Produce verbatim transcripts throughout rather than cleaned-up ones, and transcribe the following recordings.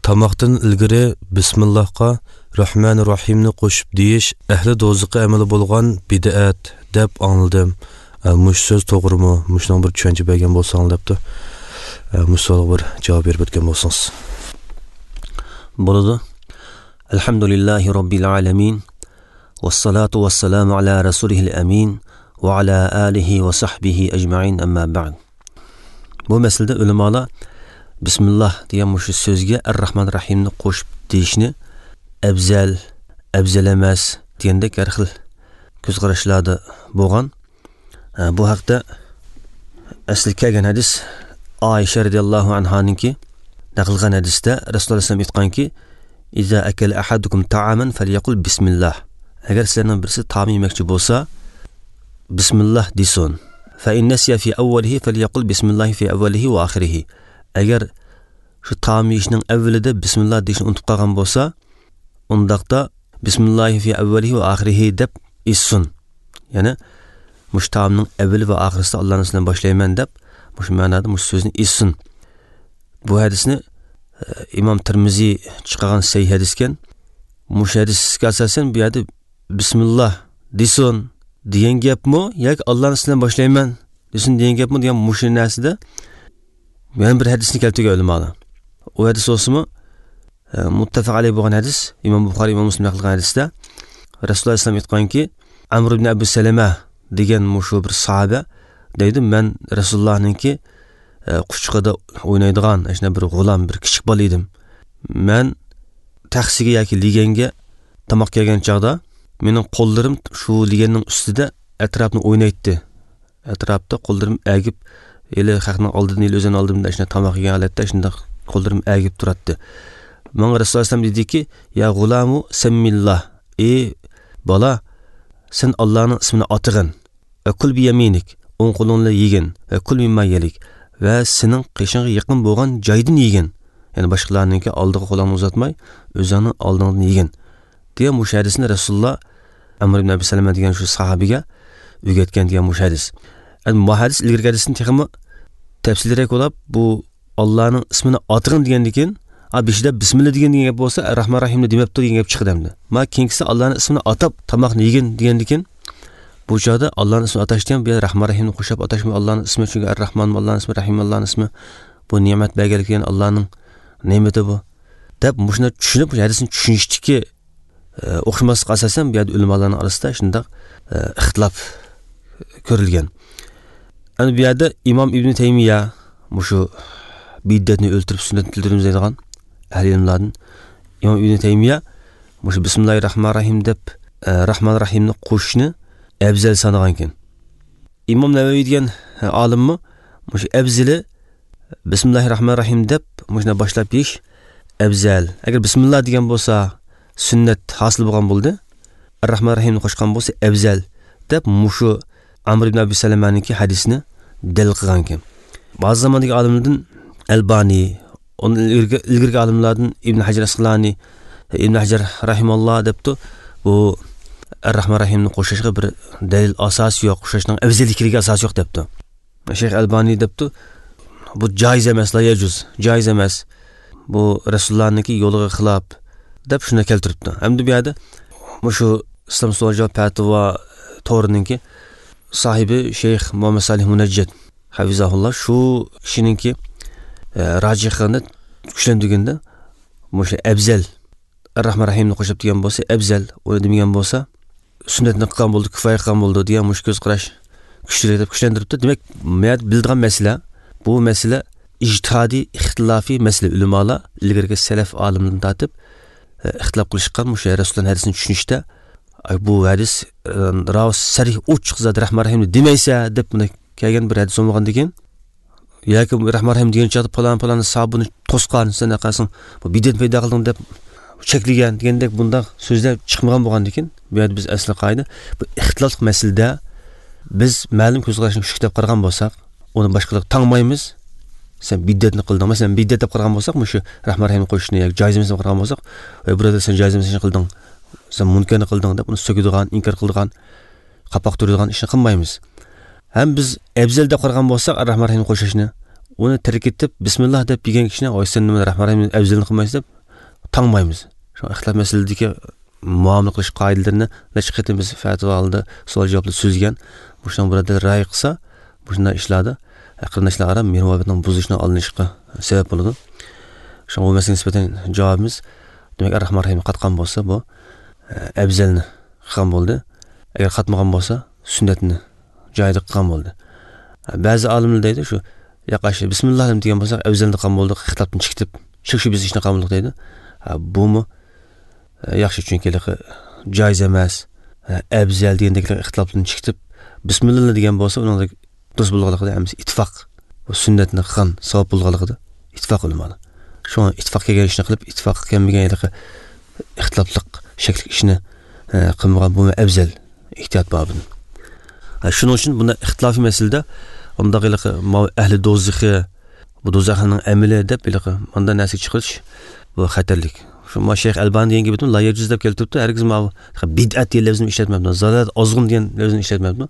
Tomoqdan ilgari bismillahga Rahmanir Rahimni qo'shib deyish ahli do'ziqqa amali bo'lgan bid'at deb angladim. Mush so'z to'g'rimi? Mushning bir tushuncha bergan bo'lsangiz debdi. Mush savolga bir javob berib o'tgan bo'lsangiz. Bo'ladi. Alhamdulillahi robbil alamin. Vassalatu vassalamu ala rasulihil amin va ala alihi va sahbihi ajma'in, amma ba'd. Bu masalada ulamolar bismillah degan mushu so'zga ar-Rahman Rahimni qo'shib deyishni afzal, afzal emas degandek har xil ko'z qarashlarda bo'lgan. Bu haqda asli kelgan hadis Oysha radhiyallohu anhaninki naql qilgan hadisda Rasululloh sollallohu alayhi vasallam aytganki: "Iza akala ahadukum ta'aman falyaqul bismillah." Agar sizlarning birisi taom yemoqchi bo'lsa, bismillah desin. Fa in nasiya fi awwalihi falyaqul bismillah fi awwalihi va akhirihi. Agar shu taom yeyishning avvalida bismillah deyishni unutib qolgan bo'lsa, undaqda bismillah fi awwalihi va akhirihi deb etsin. Ya'ni mush taomning avvali va oxirisida Allohning ismidan boshlayman deb mush ma'noda mush so'zni etsin. Bu hadisni Imom Termiziy chiqargan sahih hadis ekan. Mush hadisga asosan bu yerda bismillah desin degan gapmi yoki Allohning ismidan boshlayman desin degan gapmi degan mush narsada yana bir hadisni keltirgan ulamolar. U hadis bo'lsa-mu, muttafaq alayhi bo'lgan hadis, Imom Buxoriy, Imom Muslim naql qilgan hadisda Rasululloh sollallohu alayhi vasallam aytganki, Amr ibn Abu Salama degan mushu bir sahoba deydi, men Rasulullohninki quchqida o'ynaydigan shunday bir g'ulam, bir kichik bola edim. Men taxsiga yoki liganga tomoq kelgan chog'da mening qo'llarim shu liganning ustida atrofni o'ynaydi. Atrofda qo'llarim agib, eli xalqning oldidan, eli o'zini oldimda shunday tomoq yegan holatda shunday qo'llarim agib turadi. Menga Rasululloh sollallohu alayhi vasallam dediki: "Ya g'ulamu sammillah." Ey bola, sen Allohning ismini atig'in. Va kul bi yaminik, o'ng qo'ling bilan yegin. Va kul mimma yalik, va sening qishingga yaqin bo'lgan joydan yegin. Ya'ni boshqalarninki oldiga qo'lingni uzatmay, o'zingning oldingdan yegin. Degan mush hadisni Rasululloh Amr ibn Abi Salama degan shu sahobiga o'rgatgan degan mush hadis. Endi bu hadis ilgari hadisni texmi tafsilroq bo'lib, bu Allohning ismini atig'in degandan keyin, a beshida bismillah degan degan gap bo'lsa, Rahman Rahimni demabdi degan gap chiqadi endi. Ma keyingisi Allohning ismini atab tomoqni yegin degandan keyin, bu joyda Allohning ismini atash degan, bu yer Rahman Rahimni qo'shib atashmi Allohning ismi, chunki Ar-Rahman Allohning ismi, Rahim Allohning ismi. Bu ne'mat berganlik degan Allohning ne'mati bu. Deb mushuni tushunib, bu hadisni tushunishdiki o'xshamaslik asosan bu yerda ulamolarning orasida shundoq ixtilof ko'rilgan. Ana bu yerda Imom Ibn Taymiya mushu bid'atni o'ltirib sunnatni tildirimiz deydigan ahli ilmlardan Imom Ibn Taymiya mushu bismillahir rohmanir rohim deb Rahman Rahimni qo'shishni afzal sanagan ekan. Imom Navaviy degan olimmi mushu afzali bismillahir rohmanir rohim deb mushuni boshlab yeyish afzal. Agar bismillah degan bo'lsa sunnat hosil bo'lgan bo'ldi. Ar-Rahman Rahimni qo'shgan bo'lsa afzal deb mushu Amr ibn Abi Salamaniki hadisini dalil qilgan ekan. Ba'zi zamondagi olimlardan Albani, onun ilgirgi olimlardan Ibn Hajar Asqalani, Ibn Hajar rahimalloh debdi, bu Ar-Rahman Rahimni qo'shishga bir dalil asos yo'q, qo'shishning afzalligiga asos yo'q debdi. Shayx Albani debdi, bu joiz emas, la yajuz, joiz emas. Bu Rasulullohniki yo'liga xilof deb shuni keltiribdi. Endi bu yerda shu Islom savol javob fatvo to'rininki sahibi Shayx Muhammad Salih Munajjid hafizahulloh shu kishininki rojihini kuchlantirganda o'sha afzal Ar-Rahman Rahimni qo'shib degan bo'lsa afzal, uni demagan bo'lsa sunnatni qilgan bo'ldi, kifoya qilgan bo'ldi degan mush ko'z qarash kuchli deb kuchlantiribdi. Demak, men bildigan masala bu masala ijtihodiy ixtilofiy masala. Ulamolar ilgarigi salaf olimlardan tortib ixtilof qilishgan o'sha Rasululloh hadisini tushunishda bu hadis rav sarih ochiq zat Rahman Rahimni demaysa deb buni kelgan bir hadis bo'lmagandan keyin yoki Rahman Rahim degan chaqda falon falon sabuni to'sqan sen qilsang bu bid'at paydo qilding deb cheklagan degandek bunday so'zlar chiqmagan bo'lgandan keyin bu yerda biz asli qoida bu ixtilofli masalada biz ma'lum ko'z qarashni kuchli deb qaragan bo'lsak uni boshqalar tangmaymiz. Sen bid'atni qilding, masalan bid'at deb qaragan bo'lsak, shu Rahman Rahimni qo'shishni yoki joiz emas deb qaragan bo'lsak, ey birodar sen joiz emas ishni qilding, sen munkarni qilding deb uni so'kadigan, inkor qiladigan, qapoq turadigan ishni qilmaymiz. Ham biz afzal deb qaragan bo'lsak, Rahman Rahimni qo'shishni, uni tark etib bismillah deb yegan kishini, "Oy sen nima Rahman Rahimni afzalini qilmaysiz" deb tangmaymiz. Shu ixtilof masaladagi muomala qilish qoidalarini necha qatim biz fatvo oldi, savol javoblar so'zgan. Bu shundan birodar ra'y qilsa, bu shunday ishlarda qarindoshlar aro mehr-muhabbatning buzilishini olinishga sabab bo'ladi. Shunga bu masalaga nisbatan javobimiz, demak, Ar-Rahman Rahim qatqan bo'lsa, bu afzalni qilgan bo'ldi. Agar qatmagan bo'lsa, sunnatni joyida qilgan bo'ldi. Ba'zi olimlar deydi, shu yaqashi bismillah degan bo'lsa, afzalni qilgan bo'ldi, xitobdan chiqib, shik-shu biz ishni qilgan bo'ldik deydi. Bumi yaxshi, chunki joiz emas, afzal degandek ixtilofdan chiqib, bismillah degan bo'lsa, uning durust bo'lganligida hammasi ittifoq, bu sunnatni qilgan savob bo'lganligida ittifoq ulamolar. Shu ittifoq kelgan ishni qilib, ittifoq kelmagan ixtilofliq shakli ishni qilmagan bu afzal ehtiyot bobini. Shuning uchun bunda ixtilofiy masalada undaq ahli do'zaxi, bu do'zaxning amali deb unda narsa chiqarish bu xatarlik. Shu ma Shayx Albani degan gapni la yajuz deb keltiribdi. Hargiz ma bid'at degan lafzni ishlatmabdi, zalolat ozg'in degan lafzni ishlatmabdi.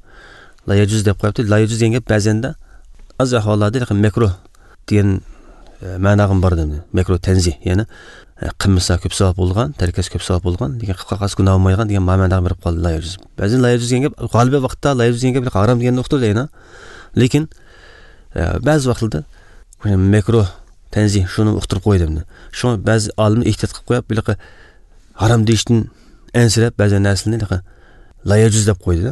La yajuz deb qo'yibdi. La yajuz degan gap ba'zanda az ahvollarda makruh degan ma'noga bor dedi. Makruh tanzih, ya'ni qilmasa ko'p savob bo'lgan, tarkasi ko'p savob bo'lgan, lekin qilib qolsa gunoh bo'lmaydigan degan ma'noga berib qoldi la yajuz. Ba'zan la yajuz degan gap g'olib vaqtda la yajuz degan gap harom deganni uqtirdi, lekin ba'zi vaqtlarda makruh tanzih shuni uqtirib qo'ydi. Shu ba'zi olimlar ehtiyot qilib qo'yib, bunaqa harom deyishdan ansirab ba'zi narsalarni la yajuz deb qo'ydi.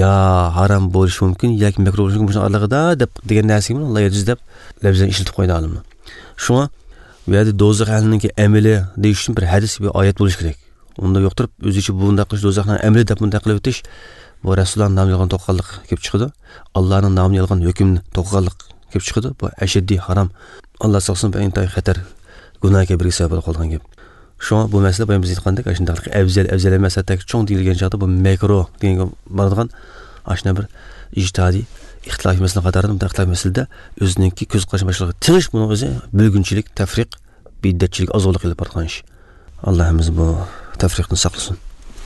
Ya harom bo'lishi mumkin yoki makruh bo'lishi mumkin, shuni oralig'ida deb degan narsaga la yajuz deb lafzini ishlatib qo'ydi olimlar. Shunga bu yerda do'zax ahliniki amali deyish uchun bir hadis, bir oyat bo'lishi kerak. Unda yo'q turib o'zicha bunday qilish do'zaxning amali deb bunday qilib o'tish bu Rasulullohning nomini yolg'on to'qqiganlik kelib chiqadi. Allohning nomini yolg'on hukmni to'qqiganlik kelib chiqadi. Bu ashaddiy harom. Alloh saqlasin, bu intayin xatar gunohga birga sabab bo'lib qolgan gap. Shunga bu masala biz aytgandek, shundaq afzal afzal emas, hatto cho'ng deyilgan chaqda bu makruh deganga boradigan ashna bir ijtihodiy ixtilof masala qatorida bunday ixtilof masalada o'zininki ko'z qarashi boshqa tinish, buni o'zi bo'lgunchilik, tafriq, bid'atchilik, ozg'unlik qilib borgan ish. Allohimiz bu tafriqni saqlasin.